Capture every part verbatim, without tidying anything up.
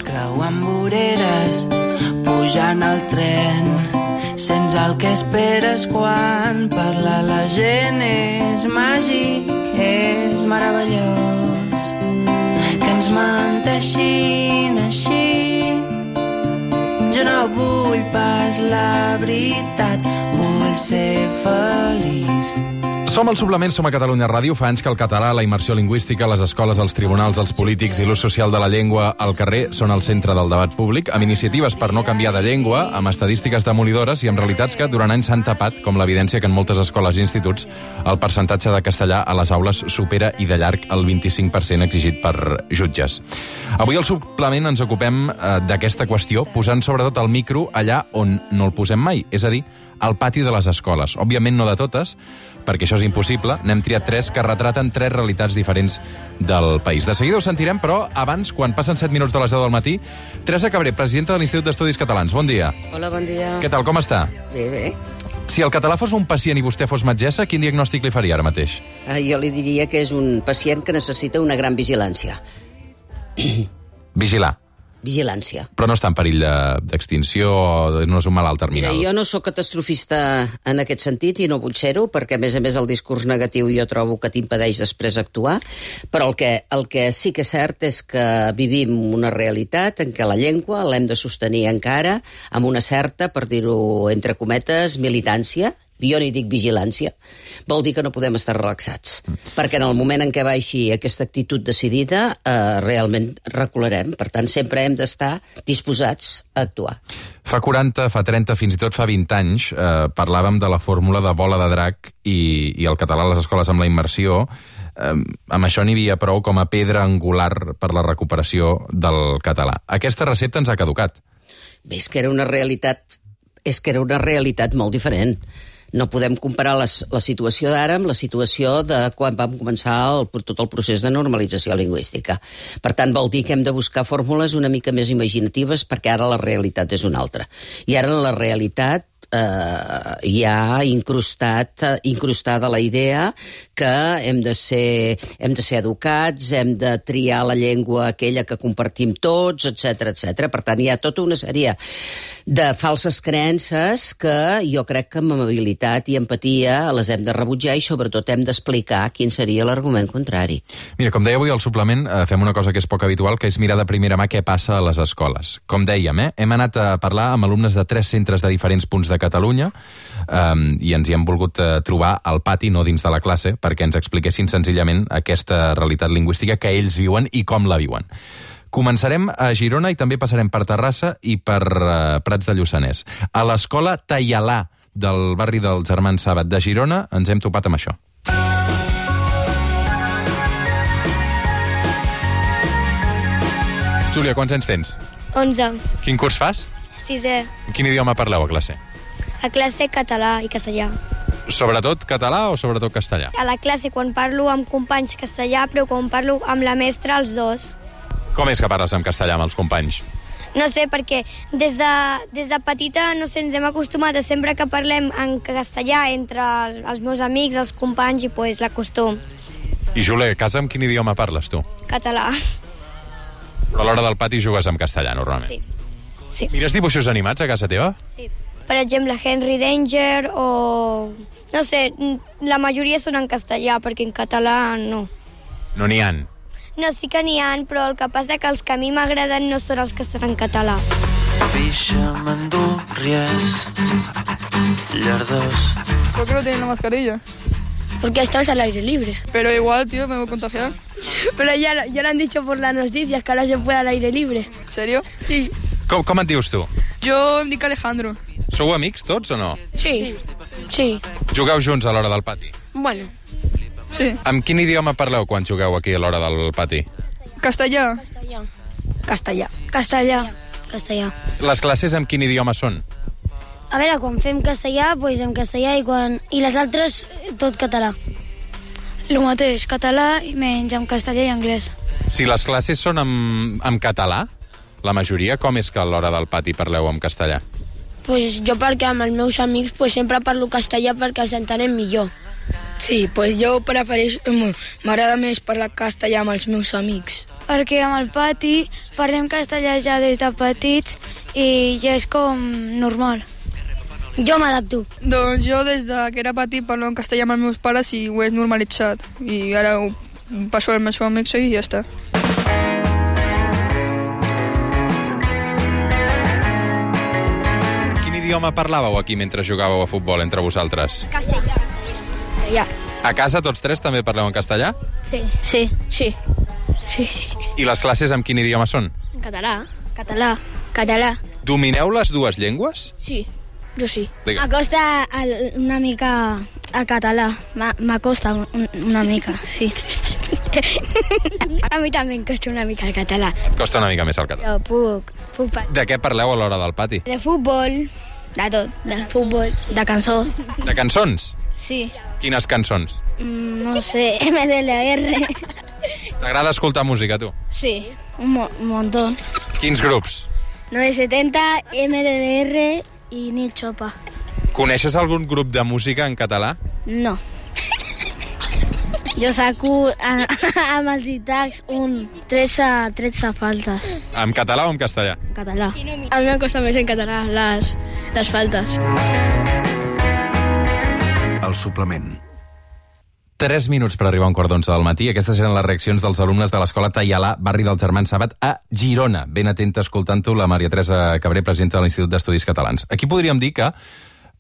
creuant voreres, pujant al tren. Sents el que esperes quan parla la gent. És màgic, és meravellós, que ens menteixin així. Jo no vull pas la veritat, vull ser feliç. Som al Suplement, som a Catalunya Ràdio. Fa anys que el català, la immersió lingüística, les escoles, els tribunals, els polítics i l'ús social de la llengua al carrer són al centre del debat públic, amb iniciatives per no canviar de llengua, amb estadístiques demolidores i amb realitats que durant anys s'han tapat, com l'evidència que en moltes escoles i instituts el percentatge de castellà a les aules supera i de llarg el vint-i-cinc per cent exigit per jutges. Avui al Suplement ens ocupem eh, d'aquesta qüestió, posant sobretot el micro allà on no el posem mai, és a dir, al pati de les escoles. Òbviament no de totes, perquè això és impossible. N'hem triat tres que retraten tres realitats diferents del país. De seguida ho sentirem, però abans, quan passen set minuts de les deu del matí, Teresa Cabré, presidenta de l'Institut d'Estudis Catalans. Bon dia. Hola, bon dia. Què tal, com està? Bé, bé. Si el català fos un pacient i vostè fos metgessa, quin diagnòstic li faria ara mateix? Ah, jo li diria que és un pacient que necessita una gran vigilància. Vigilar. Vigilància. Però no està en perill de- d'extinció, no és un malalt Mira, terminal. jo no sóc catastrofista en aquest sentit i no vull ser-ho, perquè a més a més el discurs negatiu jo trobo que t'impedeix després actuar, però el que, el que sí que és cert és que vivim una realitat en què la llengua l'hem de sostenir encara amb una certa, per dir-ho entre cometes, militància. Jo ni dic vigilància, vol dir que no podem estar relaxats, mm. perquè en el moment en què baixi aquesta actitud decidida, eh, realment recularem. Per tant, sempre hem d'estar disposats a actuar. Fa quaranta, fa trenta, fins i tot fa vint anys, eh, parlàvem de la fórmula de bola de drac i, i el català a les escoles amb la immersió. Eh, amb això n'hi havia prou com a pedra angular per la recuperació del català. Aquesta recepta ens ha caducat. Bé, és que era una realitat, és que era una realitat molt diferent. No podem comparar les, la situació d'ara amb la situació de quan vam començar el, tot el procés de normalització lingüística. Per tant, vol dir que hem de buscar fórmules una mica més imaginatives perquè ara la realitat és una altra. I ara la realitat eh, hi ha incrustat, eh, incrustada la idea que hem de ser, hem de ser educats, hem de triar la llengua aquella que compartim tots, etcètera, etcètera. Per tant, hi ha tota una sèrie de falses creences que jo crec que amb amabilitat i empatia les hem de rebutjar i sobretot hem d'explicar quin seria l'argument contrari. Mira, com deia avui al suplement, eh, fem una cosa que és poc habitual, que és mirar de primera mà què passa a les escoles. Com dèiem, eh, hem anat a parlar amb alumnes de tres centres de diferents punts de Catalunya eh, i ens hi hem volgut eh, trobar al pati, no dins de la classe, perquè ens expliquessin senzillament aquesta realitat lingüística que ells viuen i com la viuen. Començarem a Girona i també passarem per Terrassa i per uh, Prats de Lluçanès. A l'escola Taialà del barri dels Germans Sàbat de Girona ens hem topat amb això. Júlia, quants anys tens? onze. Quin curs fas? Sisè. Quin idioma parleu a classe? A classe català i castellà. Sobretot català o sobretot castellà? A la classe quan parlo amb companys castellà, però quan parlo amb la mestra, els dos. Com és que parles en castellà amb els companys? No sé, perquè des de, des de petita no sé, ens hem acostumat a sempre que parlem en castellà entre els meus amics, els companys, i pues, l'acostum. I Júlia, a casa amb quin idioma parles tu? Català. Però a l'hora del pati jugues en castellà, normalment. Sí. Sí. Mires dibuixos animats a casa teva? Sí. Per exemple, Henry Danger o... No sé, la majoria són en castellà, perquè en català no. No n'hi han. No, sí que n'hi ha, però el que passa que els que a mi m'agraden no són els que estan en català. Pixa, mandurries, llardós. ¿Por qué no tienen la mascarilla? Porque estás al aire libre. Pero igual, tío, me voy a contagiar. Pero ya, ya lo han dicho por las noticias, que ahora se puede al aire libre. ¿En serio? Sí. Com, com et dius tu? Yo em dic Alejandro. Sou amics tots o no? Sí. Sí. Jugueu junts a l'hora del pati? Bueno. Sí. Amb quin idioma parleu quan jugueu aquí a l'hora del pati? Castellà. Castellà. Castellà. Castellà. Les classes amb quin idioma són? A veure, quan fem castellà, doncs en castellà, i quan i les altres, tot català. El mateix, català i menys amb castellà i anglès. Si les classes són amb, amb català, la majoria, com és que a l'hora del pati parleu en castellà? Pues jo perquè amb els meus amics pues, sempre parlo castellà perquè els entenem millor. Sí, pues jo prefereixo... M'agrada més parlar castellà amb els meus amics. perquè amb el pati parlem castellà ja des de petits i ja és com normal. Jo m'adapto. Doncs jo des de que era petit parlo en castellà amb els meus pares i ho he normalitzat. I ara ho passo als meus amics i ja està. Quin idioma parlàveu aquí mentre jugàveu a futbol entre vosaltres? Castellà. Castellà. A casa tots tres també parleu en castellà? Sí. Sí. Sí. Sí. I les classes amb quin idioma són? En català. Català. Català. Domineu les dues llengües? Sí. Jo sí. Digue. M'acosta el- una mica el català. M'a- M'acosta un- una mica, sí. A mi també em costa una mica el català. Et costa una mica més el català. Jo puc, puc parlar. De què parleu a l'hora del pati? De futbol, de tot, de futbol. De cançó. De cançons? Sí. Quines cançons? Mm, No sé, M D L R. T'agrada escoltar música, tu? Sí, un, mo un montón. Quins grups? nueve setenta, M D L R i Nil Chopa. Coneixes algun grup de música en català? No. Jo saco a- amb els ditacs un tretze, tretze faltes En català o en castellà? en català. A mi em costa més en català les, les faltes. El suplement. Tres minuts per arribar a un quart d'onze del matí. Aquestes eren les reaccions dels alumnes de l'escola Taialà, barri dels Germans Sabat, a Girona. Ben atenta escoltant-ho la Maria Teresa Cabré, presidenta de l'Institut d'Estudis Catalans. Aquí podríem dir que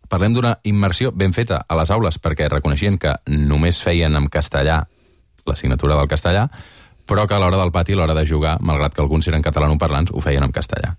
parlem d'una immersió ben feta a les aules, perquè reconeixien que només feien en castellà l'assignatura del castellà, però que a l'hora del pati, a l'hora de jugar, malgrat que alguns eren catalanoparlants, ho feien en castellà.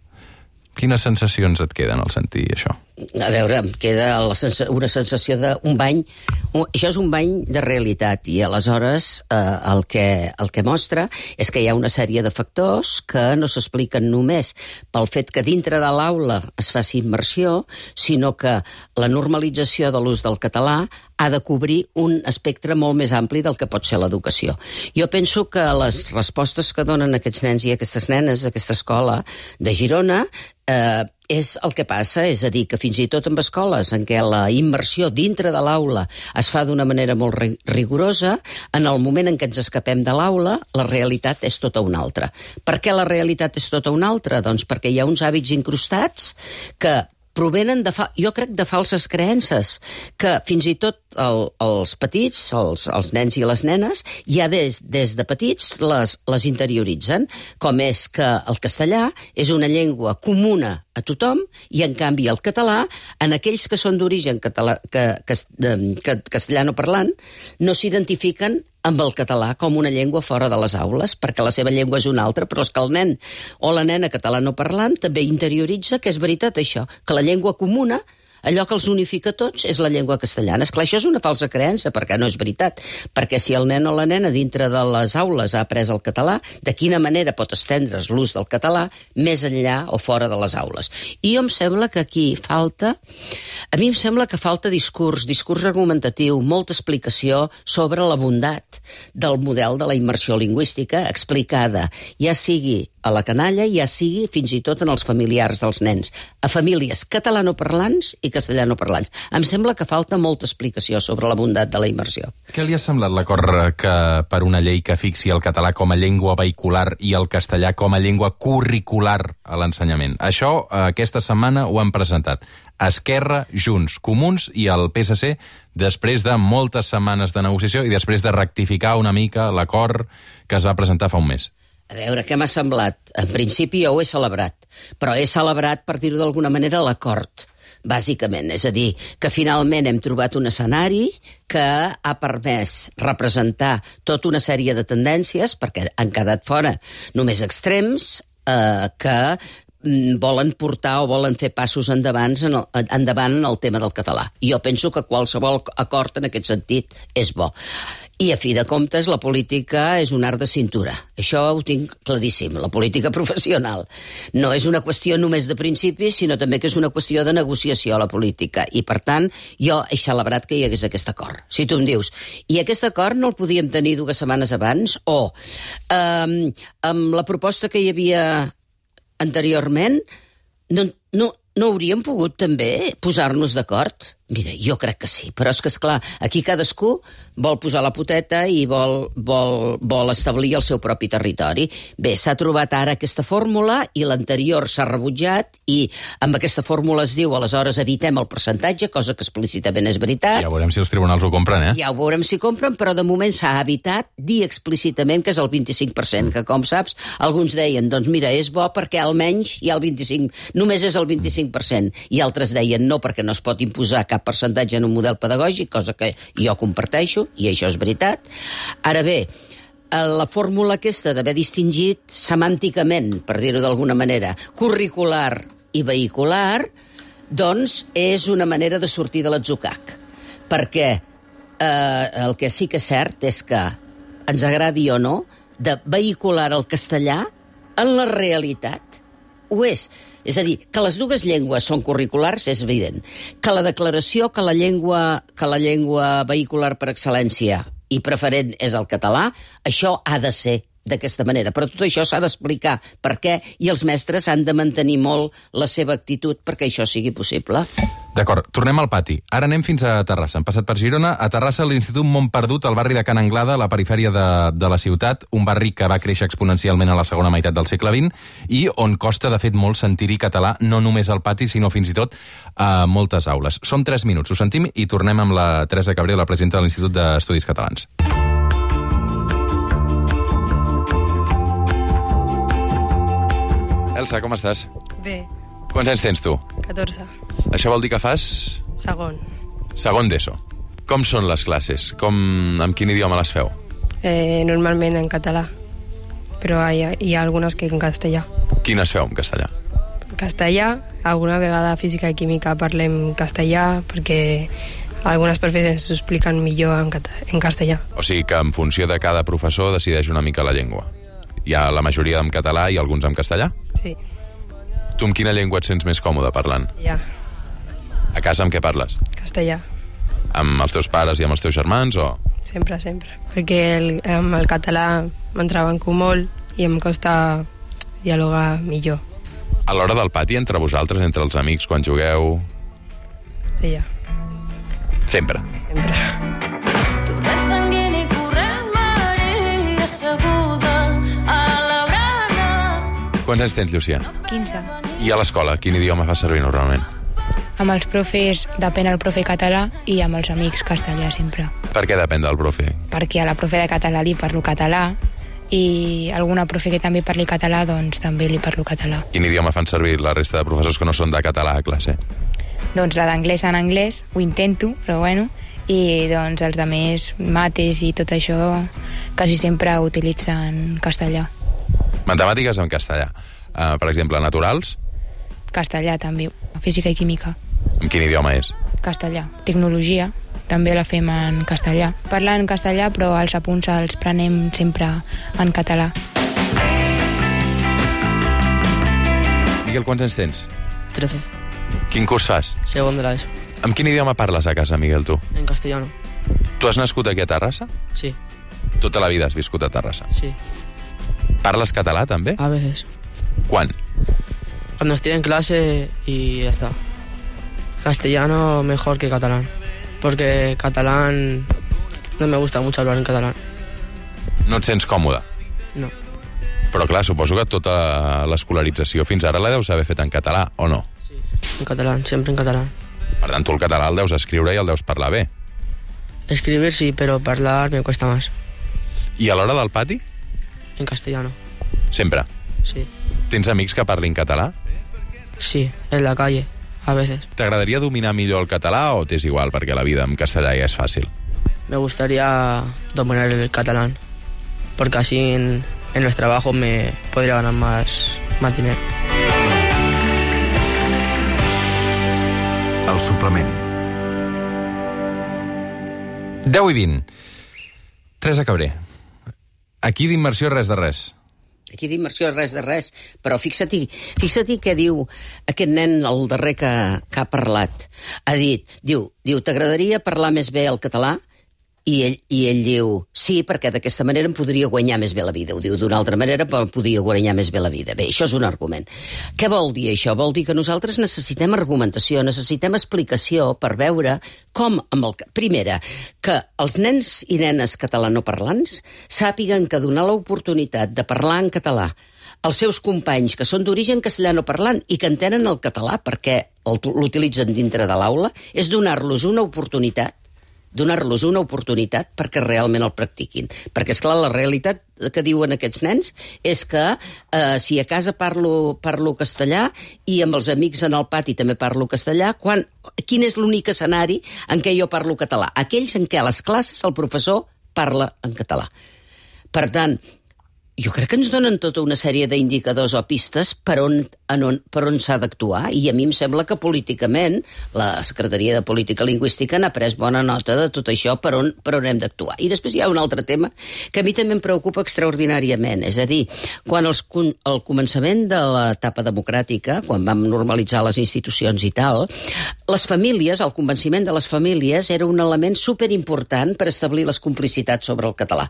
Quines sensacions et queden al sentir això? A veure, em queda la sensa una sensació d'un bany... Un, això és un bany de realitat i aleshores eh, el, que, el que mostra és que hi ha una sèrie de factors que no s'expliquen només pel fet que dintre de l'aula es faci immersió, sinó que la normalització de l'ús del català ha de cobrir un espectre molt més ampli del que pot ser l'educació. Jo penso que les respostes que donen aquests nens i aquestes nenes d'aquesta escola de Girona eh, és el que passa, és a dir, que fins i tot en escoles en què la immersió dintre de l'aula es fa d'una manera molt rigorosa, en el moment en què ens escapem de l'aula, la realitat és tota una altra. Per què la realitat és tota una altra? Doncs perquè hi ha uns hàbits incrustats que provenen, de fa... jo crec, de falses creences, que fins i tot el, els petits, els, els nens i les nenes, ja des, des de petits les, les interioritzen, com és que el castellà és una llengua comuna a tothom i, en canvi, el català, en aquells que són d'origen català, que, que, que, castellano parlant, no s'identifiquen amb el català com una llengua fora de les aules, perquè la seva llengua és una altra, però és que el nen o la nena catalanoparlant també interioritza que és veritat això, que la llengua comuna, allò que els unifica tots, és la llengua castellana. Esclar, això és una falsa creença, perquè no és veritat. Perquè si el nen o la nena dintre de les aules ha après el català, de quina manera pot estendre's l'ús del català més enllà o fora de les aules? I jo em sembla que aquí falta... A mi em sembla que falta discurs, discurs argumentatiu, molta explicació sobre la bondat del model de la immersió lingüística explicada, ja sigui a la canalla, ja sigui fins i tot en els familiars dels nens, a famílies catalanoparlants i castellanoparlants. Em sembla que falta molta explicació sobre la bondat de la immersió. Què li ha semblat l'acord que per una llei que fixi el català com a llengua vehicular i el castellà com a llengua curricular a l'ensenyament? Això aquesta setmana ho han presentat Esquerra, Junts, Comuns i el P S C després de moltes setmanes de negociació i després de rectificar una mica l'acord que es va presentar fa un mes. A veure, què m'ha semblat? En principi jo ho he celebrat, però he celebrat, per dir-ho d'alguna manera, l'acord, bàsicament. És a dir, que finalment hem trobat un escenari que ha permès representar tota una sèrie de tendències, perquè han quedat fora només extrems, eh, que volen portar o volen fer passos endavant en el, endavant en el tema del català. I jo penso que qualsevol acord en aquest sentit és bo. I, a fi de comptes, la política és un art de cintura. Això ho tinc claríssim, la política professional. No és una qüestió només de principis, sinó també que és una qüestió de negociació a la política. I, per tant, jo he celebrat que hi hagués aquest acord. Si tu em dius, i aquest acord no el podíem tenir dues setmanes abans? O, eh, amb la proposta que hi havia anteriorment, no, no, no hauríem pogut també posar-nos d'acord? Mira, jo crec que sí, però és que, esclar, aquí cadascú vol posar la poteta i vol, vol, vol establir el seu propi territori. Bé, s'ha trobat ara aquesta fórmula i l'anterior s'ha rebutjat i amb aquesta fórmula es diu, aleshores evitem el percentatge, cosa que explícitament és veritat. Ja veurem si els tribunals ho compren, eh? Ja ho veurem si compren, però de moment s'ha evitat dir explícitament que és el vint-i-cinc per cent, que com saps, alguns deien, doncs mira, és bo perquè almenys hi ha el vint-i-cinc, només és el vint-i-cinc per cent, i altres deien no, perquè no es pot imposar cap percentatge en un model pedagògic, cosa que jo comparteixo, i això és veritat. Ara bé, la fórmula aquesta d'haver distingit semànticament, per dir-ho d'alguna manera, curricular i vehicular, doncs és una manera de sortir de l'atzucac. Perquè eh, el que sí que és cert és que, ens agradi o no, de vehicular el castellà en la realitat ho és. És a dir, que les dues llengües són curriculars és evident. Que la declaració que la llengua, que la llengua vehicular per excel·lència i preferent és el català, això ha de ser d'aquesta manera. Però tot això s'ha d'explicar per què i els mestres han de mantenir molt la seva actitud perquè això sigui possible. D'acord, tornem al pati. Ara anem fins a Terrassa. Hem passat per Girona. A Terrassa, l'Institut Montperdut, al barri de Can Anglada, a la perifèria de, de la ciutat, un barri que va créixer exponencialment a la segona meitat del segle vint i on costa, de fet, molt sentir-hi català, no només al pati, sinó fins i tot a moltes aules. Són tres minuts, ho sentim, i tornem amb la Teresa Cabré, la presidenta de l'Institut d'Estudis Catalans. Elsa, com estàs? Bé. Quants anys tens tu? catorze. Això vol dir que fas... Segon. Segon d'ESO. Com són les classes? Com, amb quin idioma les feu? Eh, normalment en català, però hi ha, hi ha algunes que en castellà. Quines feu en castellà? Castellà, alguna vegada física i química parlem castellà, perquè algunes professors ens ho expliquen millor en, en castellà. O sigui que en funció de cada professor decideix una mica la llengua. Hi ha la majoria en català i alguns en castellà? Sí. Tu amb quina llengua et sents més còmode parlant? Ja. A casa amb què parles? Castellà. Amb els teus pares i amb els teus germans o...? Sempre, sempre. Perquè el, amb el català m'entrebanco molt i em costa dialogar millor. A l'hora del pati, entre vosaltres, entre els amics, quan jugueu... Castellà. Sempre. Sempre. Torrent sanguini corrent Maria asseguda a la brana. Quants anys tens, Llucia? quinze. I a l'escola, quin idioma fas servir normalment? Amb els profes depèn el profe català i amb els amics castellà sempre. Per què depèn del profe? Perquè a la profe de català li parlo català i alguna profe que també parli català, doncs també li parlo català. Quin idioma fan servir la resta de professors que no són de català a classe? Doncs la d'anglès en anglès, ho intento, però bueno, i doncs els altres mates i tot això quasi sempre utilitzen castellà. Matemàtiques en castellà. Uh, per exemple, naturals? Castellà també, física i química. En quin idioma és? Castellà. Tecnologia, també la fem en castellà. Parlen en castellà, però els apunts els prenem sempre en català. Miguel, quants anys tens? trece. Quin curs fas? Segon de l'ESO. Amb quin idioma parles a casa, Miguel, tu? En castellano. Tu has nascut aquí a Terrassa? Sí. Tota la vida has viscut a Terrassa? Sí. ¿Parles català, també? A veces. ¿Cuán? Cuando estoy en clase y ya está. Castellano mejor que catalán. Porque catalán no me gusta mucho hablar en catalán. No et sents còmode? No. Però clar, suposo que tota l'escolarització fins ara la deus haver fet en català, o no? Sí, en catalán, siempre en catalán. Per tant, tu el català el deus escriure i el deus parlar bé. Escribir sí, pero hablar me cuesta más. I a l'hora del pati? En castellano. Sempre? Sí. Tens amics que parlin català? Sí, en la calle, a veces. T'agradaria dominar millor el català o t'és igual perquè la vida en castellà ja és fàcil? Me gustaría dominar el catalán, porque así en, en los trabajos me podría ganar más, más dinero. El suplement. deu i vint. Teresa Cabré. Aquí d'immersió res de res. Aquí d'immersió res de res, però fixa-t'hi, fixa-t'hi què diu aquest nen, el darrer que, que ha parlat. Ha dit, diu, diu t'agradaria parlar més bé el català? I ell, I ell diu, sí, perquè d'aquesta manera em podria guanyar més bé la vida. Ho diu d'una altra manera, però em podria guanyar més bé la vida. Bé, això és un argument. Què vol dir això? Vol dir que nosaltres necessitem argumentació, necessitem explicació per veure com, amb el... Primera, que els nens i nenes catalanoparlants sàpiguen que donar l'oportunitat de parlar en català als seus companys que són d'origen castellanoparlant i que entenen el català perquè l'utilitzen dintre de l'aula és donar-los una oportunitat donar-los una oportunitat perquè realment el practiquin. Perquè, esclar, la realitat que diuen aquests nens és que eh, si a casa parlo, parlo castellà i amb els amics en el pati també parlo castellà, quan, quin és l'únic escenari en què jo parlo català? Aquells en què a les classes el professor parla en català. Per tant, jo crec que ens donen tota una sèrie d'indicadors o pistes per on, on, per on s'ha d'actuar, i a mi em sembla que políticament la Secretaria de Política Lingüística n'ha pres bona nota de tot això, per on, per on hem d'actuar. I després hi ha un altre tema que a mi també em preocupa extraordinàriament, és a dir, quan els, al començament de l'etapa democràtica, quan vam normalitzar les institucions i tal, les famílies, el convenciment de les famílies era un element superimportant per establir les complicitats sobre el català.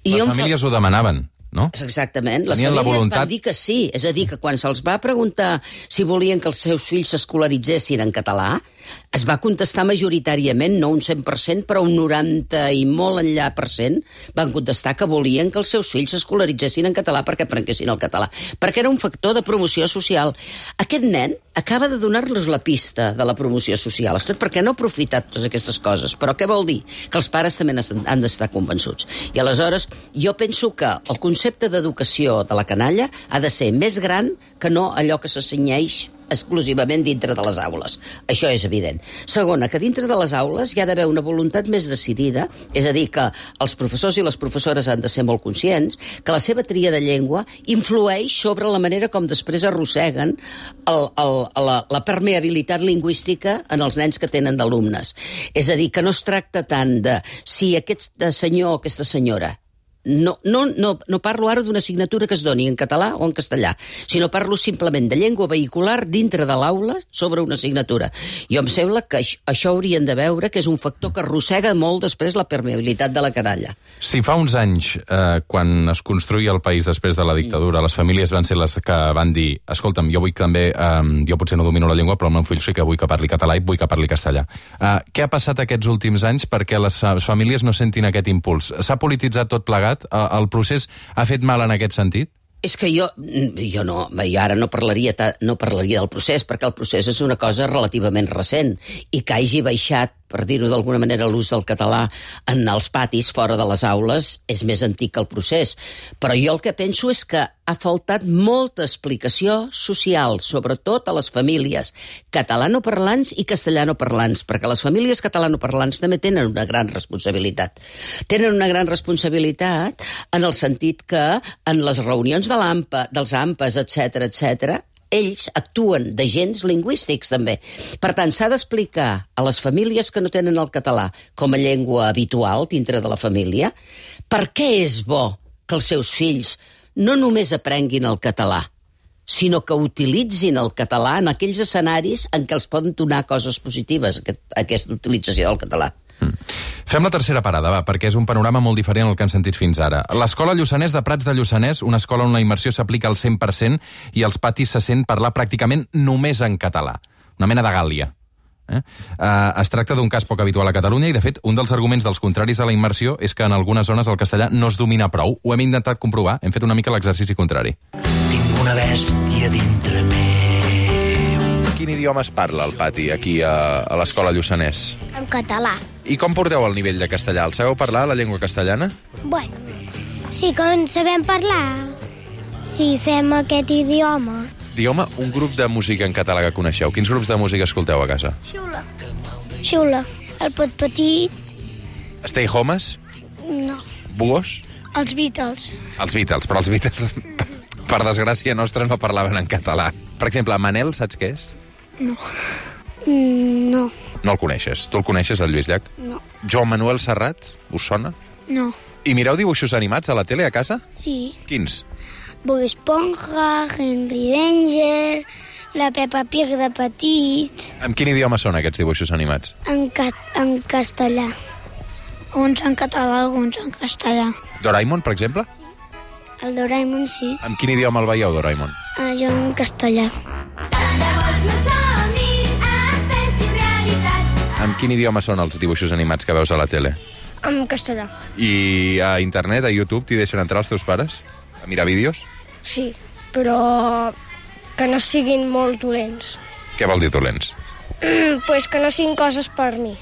I les famílies fa... ho demanaven. No? Exactament, les Tenien famílies voluntat... van dir que sí, és a dir, que quan se'ls va preguntar si volien que els seus fills s'escolaritzessin en català, es va contestar majoritàriament, no un cent per cent, però un noranta i molt enllà per cent, van contestar que volien que els seus fills s'escolaritzessin en català perquè aprenguessin el català, perquè era un factor de promoció social. Aquest nen acaba de donar-los la pista de la promoció social, tot perquè no ha aprofitat totes aquestes coses, però què vol dir? Que els pares també han d'estar convençuts. I aleshores jo penso que el concepte d'educació de la canalla ha de ser més gran que no allò que s'assenyeix exclusivament dintre de les aules. Això és evident. Segona, que dintre de les aules hi ha d'haver una voluntat més decidida, és a dir, que els professors i les professores han de ser molt conscients que la seva tria de llengua influeix sobre la manera com després arrosseguen el, el, la, la permeabilitat lingüística en els nens que tenen d'alumnes. És a dir, que no es tracta tant de si aquest senyor o aquesta senyora No, no, no, no parlo ara d'una assignatura que es doni en català o en castellà, sinó parlo simplement de llengua vehicular dintre de l'aula sobre una assignatura. Jo em sembla que això, això haurien de veure que és un factor que arrossega molt després la permeabilitat de la canalla. Si fa uns anys, eh, quan es construïa el país després de la dictadura, les famílies van ser les que van dir escolta'm, jo vull també, eh, jo potser no domino la llengua, però el meu fill sí que vull que parli català i vull que parli castellà. Eh, què ha passat aquests últims anys perquè les famílies no sentin aquest impuls? S'ha polititzat tot plegat? El procés ha fet mal en aquest sentit? És que jo, jo no, jo ara no parlaria, no parlaria del procés, perquè el procés és una cosa relativament recent, i que hagi baixat, per dir-ho d'alguna manera, l'ús del català en els patis, fora de les aules, és més antic que el procés. Però jo el que penso és que ha faltat molta explicació social, sobretot a les famílies catalanoparlants i castellanoparlants, perquè les famílies catalanoparlants també tenen una gran responsabilitat. Tenen una gran responsabilitat en el sentit que en les reunions de l'AMPA, dels AMPAs, etcètera, etcètera, ells actuen d'agents lingüístics, també. Per tant, s'ha d'explicar a les famílies que no tenen el català com a llengua habitual dintre de la família per què és bo que els seus fills no només aprenguin el català, sinó que utilitzin el català en aquells escenaris en què els poden donar coses positives, aquesta utilització del català. Mm. Fem la tercera parada, va, perquè és un panorama molt diferent al que hem sentit fins ara. L'Escola Lluçanès de Prats de Lluçanès, una escola on la immersió s'aplica al cent per cent i als patis se sent parlar pràcticament només en català. Una mena de Gàl·lia. Eh? Uh, es tracta d'un cas poc habitual a Catalunya i, de fet, un dels arguments dels contraris a la immersió és que en algunes zones el castellà no es domina prou. Ho hem intentat comprovar, hem fet una mica l'exercici contrari. Tinc una bèstia dintre meu. Quin idioma es parla al pati, aquí a, a l'Escola Lluçanès? En català. I com porteu el nivell de castellà? El sabeu parlar, la llengua castellana? Bueno, sí que en sabem parlar. Sí, fem aquest idioma. Digueu-me un grup de música en català que coneixeu. Quins grups de música escolteu a casa? Xula. Xula. El Pot Petit. Stay Homes? No. Búhos? Els Beatles. Els Beatles, però els Beatles, per desgràcia nostra, no parlaven en català. Per exemple, Manel, saps què és? No. Mm, no. No el coneixes. Tu el coneixes, el Lluís Llach? No. Joan Manuel Serrat? Us sona? No. I mireu dibuixos animats a la tele, a casa? Sí. Quins? Bob Esponja, Henry Danger, la Peppa Pig de petit... En quin idioma són aquests dibuixos animats? En, ca en castellà. Uns en català, alguns en castellà. Doraemon, per exemple? El Doraemon sí. En quin idioma el veieu, Doraemon? Uh, jo en castellà. En quin idioma són els dibuixos animats que veus a la tele? En castellà. I a internet, a YouTube, t'hi deixen entrar els teus pares? A mirar vídeos? Sí, però que no siguin molt dolents. Què vol dir dolents? Mm, pues que no siguin coses per mi.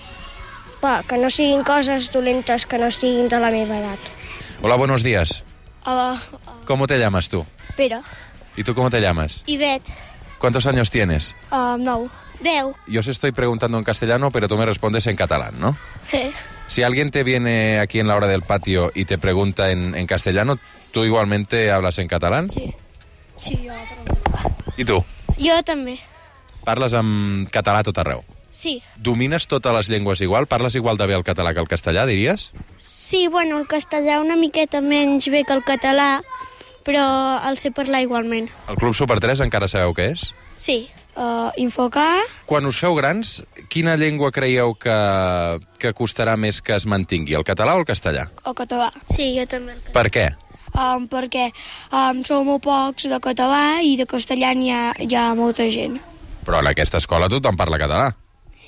Va, que no siguin coses dolentes, que no siguin de la meva edat. Hola, buenos días. Hola. ¿Cómo te llamas tú? Pere. ¿Y tú cómo te llamas? Ivet. ¿Cuántos años tienes? Uh, nou. Deu. Yo os estoy preguntando en castellano, pero tú me respondes en catalán, ¿no? Eh. Si alguien te viene aquí en la hora del patio y te pregunta en, en castellano, ¿tú igualmente hablas en catalán? Sí. Sí, jo pregunto. I tu? Jo també. Parles en català tot arreu? Sí. Domines totes les llengües igual? Parles igual de bé el català que el castellà, diries? Sí, bueno, el castellà una miqueta menys bé que el català, però el sé parlar igualment. El Club Super tres encara sabeu què és? Sí. Uh, Infocar. Quan us feu grans, quina llengua creieu que, que costarà més que es mantingui, el català o el castellà? El català. Sí, jo també. El català. Per què? Um, perquè um, som molt pocs de català i de castellà hi ha, hi ha molta gent. Però en aquesta escola tothom parla català.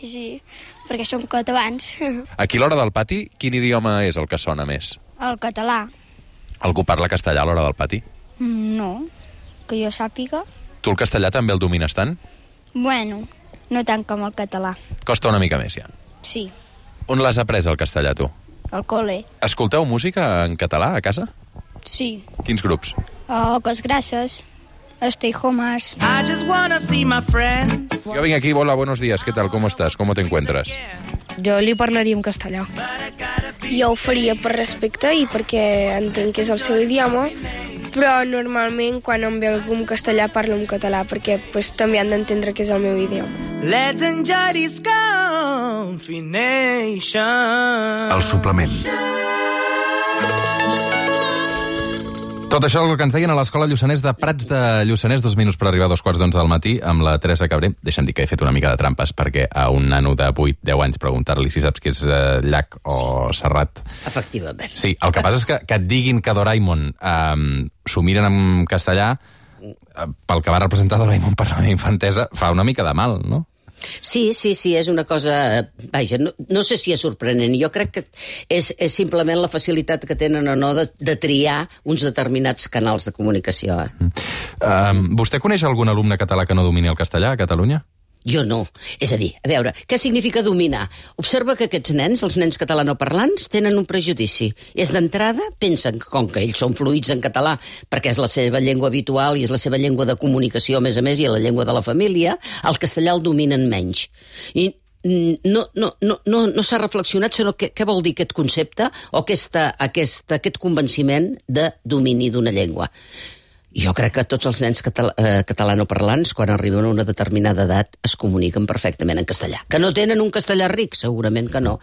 Sí, perquè som catalans. Aquí a l'hora del pati, quin idioma és el que sona més? El català. Algú parla castellà a l'hora del pati? No, que jo sàpiga. Tu el castellà també el domines tant? Bueno, no tant com el català. Costa una mica més, ja. Sí. On l'has après, el castellà, tu? Al col·le. Escolteu música en català a casa? Sí. Quins grups? Oh, Cos Grasses, Stay Homers. I just wanna see my friends. Jo vinc aquí, hola, buenos días, ¿qué tal? ¿Cómo estás? ¿Cómo te encuentras? Jo li parlaria en castellà. Jo ho faria per respecte i perquè entenc que és el seu idioma, però normalment quan em ve algú en castellà parlo en català perquè pues, també han d'entendre que és el meu idioma. Let's enjoy this combination. El suplement. Tot això el que ens deien a l'Escola Lluçanès de Prats de Lluçanès, dos minuts per arribar a dos quarts d'onze del matí, amb la Teresa Cabré. Deixa'm dir que he fet una mica de trampes, perquè a un nano de vuit deu anys preguntar-li si saps què és eh, llac o sí. Serrat. Efectivament. Sí, el que passa és que, que et diguin que Doraemon eh, s'ho miren en castellà, eh, pel que va representar Doraemon per la meva infantesa, fa una mica de mal, no? Sí, sí, sí, és una cosa... Vaja, no, no sé si és sorprenent. Jo crec que és, és simplement la facilitat que tenen o no de, de triar uns determinats canals de comunicació. Eh? Mm. Um, vostè coneix algun alumne català que no domini el castellà a Catalunya? Jo no. És a dir, a veure, què significa dominar? Observa que aquests nens, els nens catalanoparlants, tenen un prejudici. És d'entrada, pensen que com que ells són fluïts en català, perquè és la seva llengua habitual i és la seva llengua de comunicació, a més a més, i la llengua de la família, el castellà el dominen menys. I no, no, no, no, no s'ha reflexionat sobre què, què vol dir aquest concepte o aquesta, aquesta, aquest convenciment de domini d'una llengua. Jo crec que tots els nens català, eh, catalanoparlants, quan arriben a una determinada edat, es comuniquen perfectament en castellà. Que no tenen un castellà ric? Segurament que no.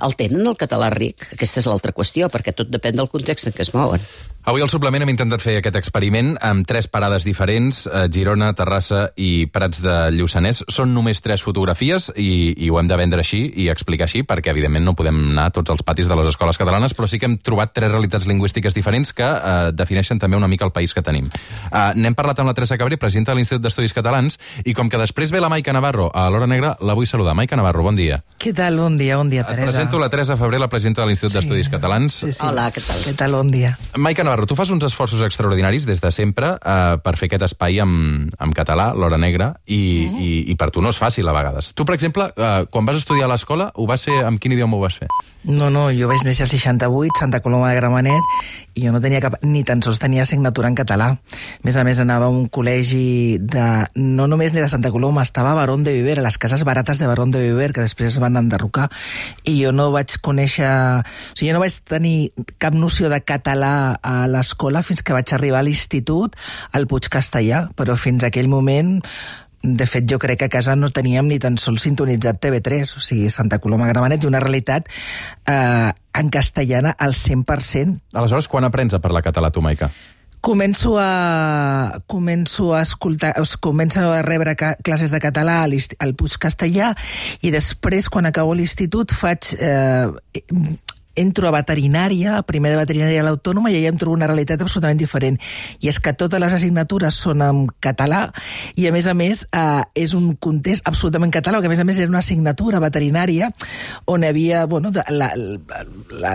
El tenen el català ric? Aquesta és l'altra qüestió, perquè tot depèn del context en què es mouen. Avui al suplement hem intentat fer aquest experiment amb tres parades diferents, eh, Girona, Terrassa i Prats de Lluçanès. Són només tres fotografies i, i ho hem de vendre així i explicar així, perquè evidentment no podem anar a tots els patis de les escoles catalanes, però sí que hem trobat tres realitats lingüístiques diferents que eh, defineixen també una mica el país que tenim. Uh, n'hem parlat amb la Teresa Cabré, presidenta de l'Institut d'Estudis Catalans, i com que després ve la Maica Navarro a l'Hora Negra, la vull saludar. Maica Navarro, bon dia. Què tal? Bon dia, bon dia, Teresa. Et presento la Teresa Febrer, la presidenta de l'Institut sí, d'Estudis Catalans. Sí, sí. Hola, què tal? Què tal? Bon dia. Maica Navarro, tu fas uns esforços extraordinaris des de sempre uh, per fer aquest espai en, en català, l'Hora Negra, i, mm. i, i per tu no és fàcil a vegades. Tu, per exemple, uh, quan vas estudiar a l'escola, ho vas fer, amb quin idioma ho vas fer? No, no, jo vaig néixer al seixanta-vuit, Santa Coloma de Gramenet, i jo no tenia cap, ni tan sols tenia assignatura en català. A més a més, anava a un col·legi de, no només ni de Santa Coloma, estava a Barón de Viver, a les cases barates de Barón de Viver, que després es van enderrocar, i jo no vaig conèixer... O sigui, jo no vaig tenir cap noció de català a l'escola fins que vaig arribar a l'institut al Puig Castellà, però fins a aquell moment... De fet, jo crec que a casa no teníem ni tan sols sintonitzat T V tres, o sigui, Santa Coloma de Gramenet, i una realitat eh, en castellana al cent per cent. Aleshores, quan aprens a parlar català, tu, Maica? Començo a, començo a escoltar, començo a rebre ca, classes de català al Puig Castellà, i després, quan acabo l'institut, faig... Eh, entro a veterinària, a primer de veterinària a l'Autònoma, i allà em trobo una realitat absolutament diferent. I és que totes les assignatures són en català i, a més a més, eh, és un context absolutament català, perquè, a més a més, era una assignatura veterinària on hi havia, bueno, la, la, la,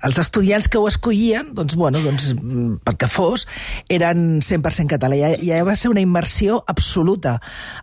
els estudiants que ho escollien, doncs, bueno, doncs, perquè fos, eren cent per cent català. Ja, ja va ser una immersió absoluta,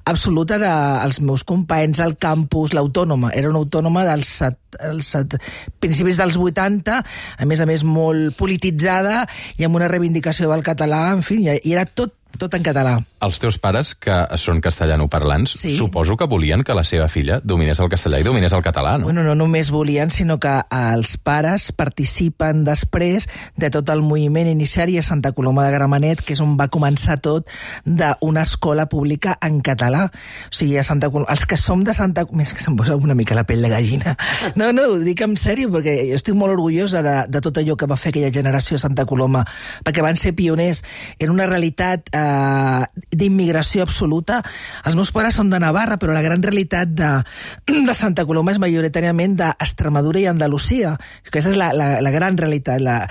absoluta dels meus companys, al campus, l'Autònoma. Era una autònoma dels set, els set, principis dels vuitanta, a més a més molt polititzada i amb una reivindicació del català, en fi, i era tot tot en català. Els teus pares, que són castellanoparlants, sí. Suposo que volien que la seva filla dominés el castellà i dominés el català, no? Bueno, no només volien, sinó que els pares participen després de tot el moviment iniciari a Santa Coloma de Gramenet, que és on va començar tot, d'una escola pública en català. O sigui, a Santa Coloma, els que som de Santa Coloma... És que se'm posa una mica la pell de gallina. No, no, ho dic en sèrio, perquè jo estic molt orgullosa de, de tot allò que va fer aquella generació a Santa Coloma, perquè van ser pioners en una realitat eh, d'immigració absoluta. Els meus pares són de Navarra, però la gran realitat de, de Santa Coloma és majoritàriament d'Extremadura i Andalusia. Aquesta és la, la, la gran realitat, la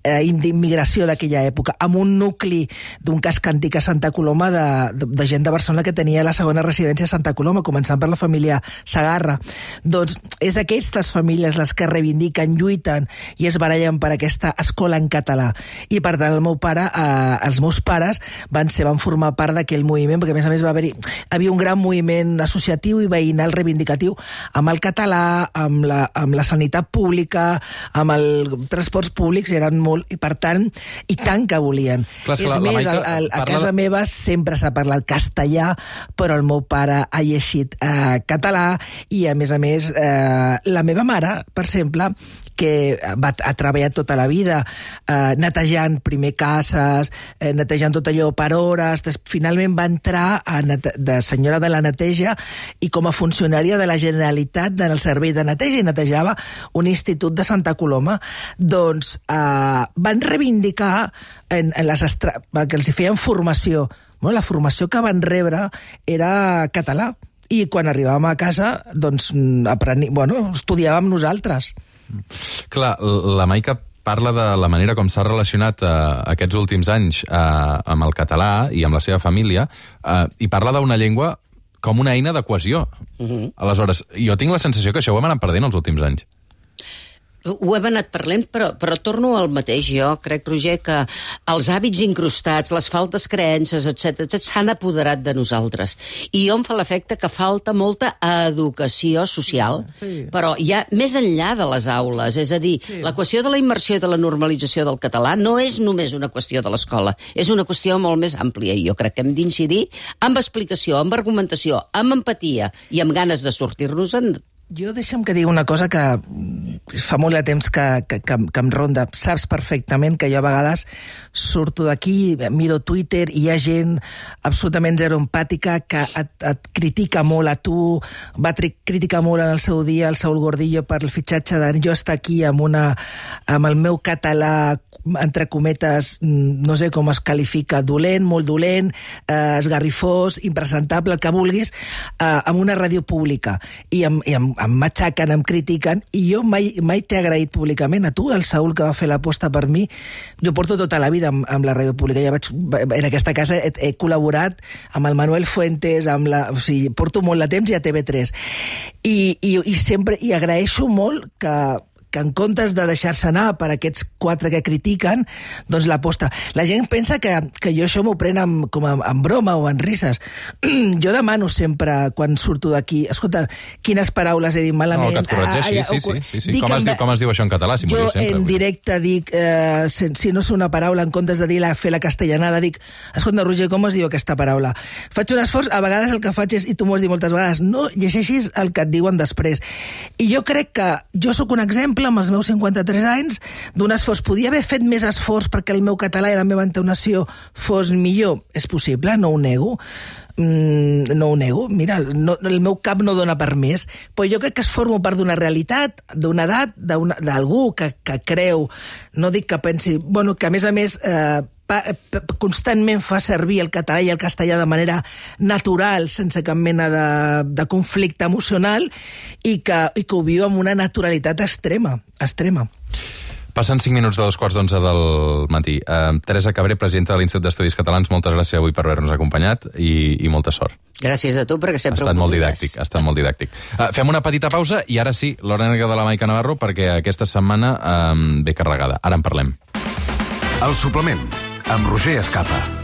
eh, d'immigració d'aquella època, amb un nucli d'un casc antic a Santa Coloma de, de, de gent de Barcelona que tenia la segona residència a Santa Coloma, començant per la família Sagarra. Doncs és aquestes famílies les que reivindiquen, lluiten i es barallen per aquesta escola en català. I per tant el meu pare, eh, els meus pares van ser, van formar part d'aquell moviment, perquè a més a més va haver-hi, havia un gran moviment associatiu i veïnal reivindicatiu amb el català, amb la, amb la sanitat pública, amb els transports públics, eren molt, i per tant, i tant que volien. Clar, és és la, més, la Maica, a, a, a parla... casa meva sempre s'ha parlat castellà, però el meu pare ha llegit eh, català i, a més a més, eh, la meva mare, per exemple, que va, ha treballat tota la vida eh, netejant primer cases, eh, netejant tot allò per hores, des, finalment va entrar a nete, de senyora de la neteja i com a funcionària de la Generalitat en el servei de neteja, i netejava un institut de Santa Coloma. Doncs eh, van reivindicar en, en les estra... que els hi feien formació. Bueno, la formació que van rebre era català, i quan arribàvem a casa doncs apreni... bueno, estudiàvem nosaltres. Clar, la Maica parla de la manera com s'ha relacionat eh, aquests últims anys eh, amb el català i amb la seva família, eh, i parla d'una llengua com una eina de cohesió. Uh-huh. Aleshores, jo tinc la sensació que això ho hem anat perdent els últims anys. Ho hem anat parlant, però, però torno al mateix. Jo crec, Roger, que els hàbits incrustats, les faltes creences, etcètera, s'han apoderat de nosaltres. I jo em fa l'efecte que falta molta educació social, sí. Però ja més enllà de les aules. És a dir, sí. La qüestió de la immersió i de la normalització del català no és només una qüestió de l'escola, és una qüestió molt més àmplia, i jo crec que hem d'incidir amb explicació, amb argumentació, amb empatia i amb ganes de sortir-nos-en. Jo deixa'm que digui una cosa que fa molt de temps que, que, que, que em ronda. Saps perfectament que jo a vegades surto d'aquí, miro Twitter i hi ha gent absolutament zero empàtica que et, et critica molt a tu, va criticar molt en el seu dia el Saúl Gordillo per el fitxatge de jo estar aquí amb, una, amb el meu català entre cometes, no sé com es qualifica, dolent, molt dolent, eh, esgarrifós, impresentable, el que vulguis, eh, amb una ràdio pública. I em, i em, em matxaquen, em critiquen, i jo mai, mai t'he agraït públicament. A tu, el Saúl, que va fer l'aposta per mi, jo porto tota la vida amb, amb la ràdio pública. Ja vaig, en aquesta casa he, he col·laborat amb el Manuel Fuentes, amb la, o sigui, porto molt de temps i a T V tres. I, i, i sempre, i agraeixo molt que que en comptes de deixar-se anar per aquests quatre que critiquen, doncs l'aposta. La gent pensa que, que jo això m'ho pren amb, com en, en broma o en risses. Jo demano sempre, quan surto d'aquí, escolta, quines paraules he dit malament. No, que et corregeixi, ah, sí, sí, sí, sí. Com, es diu, com es diu això en català? Si jo sempre, en directe dic, eh, si, si no sé una paraula, en comptes de dir la, fer la castellanada, dic, escolta, Roger, com es diu aquesta paraula? Faig un esforç, a vegades el que faig és, i tu m'ho has dit moltes vegades, no llegeixis el que et diuen després. I jo crec que jo sóc un exemple amb els meus cinquanta-tres anys, d'un esforç. Podia haver fet més esforç perquè el meu català i la meva entonació fos millor? És possible, no ho nego. Mm, no ho nego. Mira, no, el meu cap no dona per més, però jo crec que es formo part d'una realitat, d'una edat, d'algú que, que creu, no dic que pensi, bueno, que a més a més eh, constantment fa servir el català i el castellà de manera natural, sense cap mena de, de conflicte emocional, i que, i que ho viu amb una naturalitat extrema, extrema. Passen cinc minuts de dos quarts d'onze del matí. Uh, Teresa Cabré, presidenta de l'Institut d'Estudis Catalans, moltes gràcies avui per haver-nos acompanyat i, i molta sort. Gràcies a tu, perquè sempre ha estat molt didàctic, ha estat molt didàctic. Uh, fem una petita pausa i ara sí, l'hora negra de la Maica Navarro, perquè aquesta setmana um, ve carregada. Ara en parlem. El suplement, amb Roger Escapa.